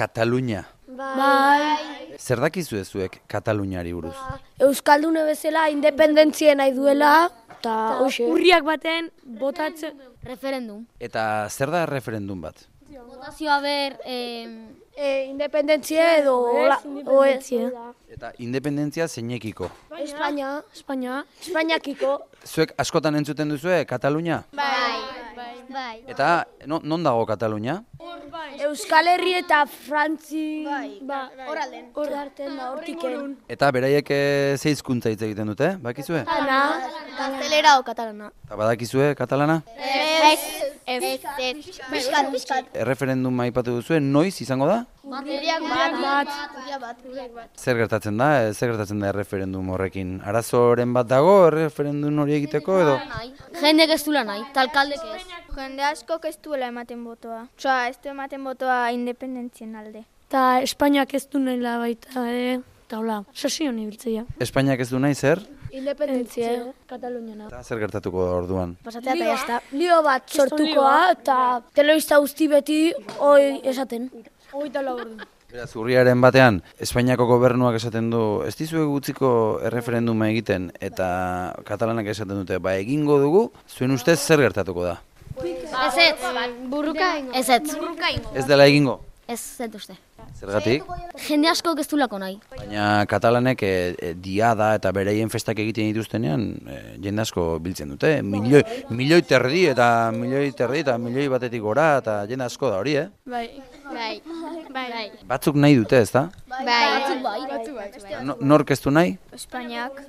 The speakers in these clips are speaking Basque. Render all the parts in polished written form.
Katalunia. Bai. Zer dakizue zuek Kataluniari buruz? Euskaldune bezala independentzia nahi duela, eta hoxe. Urriak baten botatzen Referendum. Eta zer da referendum bat? Botazioa ber, Independentzia edo independentzia. Eta independentzia zeinekiko. Espainia. Espainia. Espainiakiko. Zuek askotan entzuten duzue Katalunia? bai. Eta non dago Katalunia? Euskal Herri eta Frantzi. Horalden. Hor arten da, hortiken. Eta beraiek ze hizkuntza hitz egiten dute, bakizue? Gaztelera o katalana. Eta badakizue katalana? Piskat. Erreferenduma aipatu duzue, noiz izango da? Urriak bat. Zer gertatzen da? Zer gertatzen da erreferendum horrekin? Arazoren bat dago erreferendum hori egiteko edo? Jendek ez duela nahi, talkaldek ez. Jende askok ez duela ematen botoa. Osea, ez du ematen botoa independentzien alde. Eta Espainiak ez du nahi baita, eta hola, sesion ibiltzea. Espainiak ez du nahi zer? Independentzia. Kataluniana. Eta zer gertatuko da orduan? Pasatzea eta jazta. Lio bat sortukoa eta telebista guzti beti hoi esaten. Hogeita lau ordu. Beraz, urriaren batean, Espainiako gobernuak esaten du, ez dizuek utziko erreferenduma egiten eta katalanak esaten dute, ba egingo dugu, zuen ustez zer gertatuko da? Ez. Burruka ingo. Ez. Ez dela egingo? Ez uste. Zergatik? Jende askok ez duelako nahi. Baina katalanek diada eta bereien festak egiten dituztenean jende asko biltzen dute. Milioi terdi eta milioi batetik gora eta jende asko da hori, Bai. Batzuk nahi dute, ez da? Bai. Nork ez du nahi? Espainiak.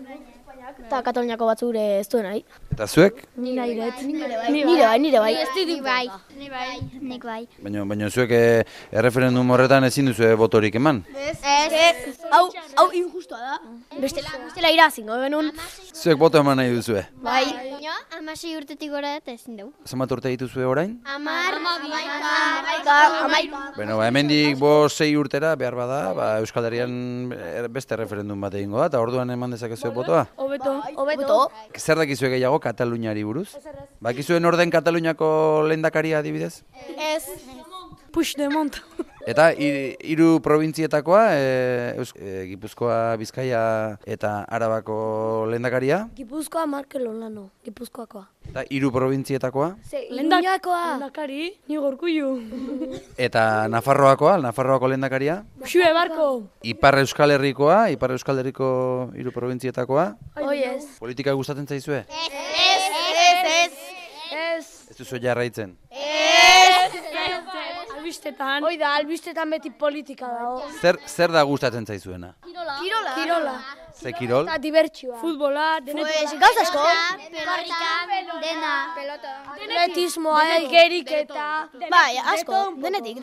Eta Kataluniako batzuk ez duen nahi. Eta zuek? Ni nahi dut. Nire bai. Nik bai. Baina zuek erreferendum horretan ezin duzu botorik eman? Hau injustua da. Bestela irazingo genuen. Zuek boto eman nahi duzue? Bai. 16 urtetik gora eta ezin dugu. Zenbat urte dituzue orain? 10. Bueno, hemendik 5-6 urtera behar bada, Euskal Herrian beste referendum bat egingo da, eta orduan eman dezakezue botoa? Hobeto. Zer dakizue gehiago Kataluniari buruz? Bakizue nor den Kataluniako lehendakaria adibidez? Ez. Puigdemont. Eta hiru probintzietakoa, Gipuzkoa, Bizkaia eta Arabako lehendakaria? Gipuzkoa Markel Olano, Gipuzkoakoa. Eta hiru probintzietakoa? Iruñakoa. Lehendakari, ni gorkuiu. Eta Nafarroako lehendakaria? Xue barko. Ipar Euskal Herrikoa, Ipar Euskal Herriko hiru probintzietakoa? Oiez. Politika gustatzen zaizue? Ez duzu jarraitzen? Albistetan. Hoi da, albistetan beti politika dago. Zer da gustatzen zaizuena? Kirola. Ze kirol? Eta dibertsioa. Futbola, denetik. Gauz asko. Dena. Atletismoa, geriketa. Bai, asko. Denetik.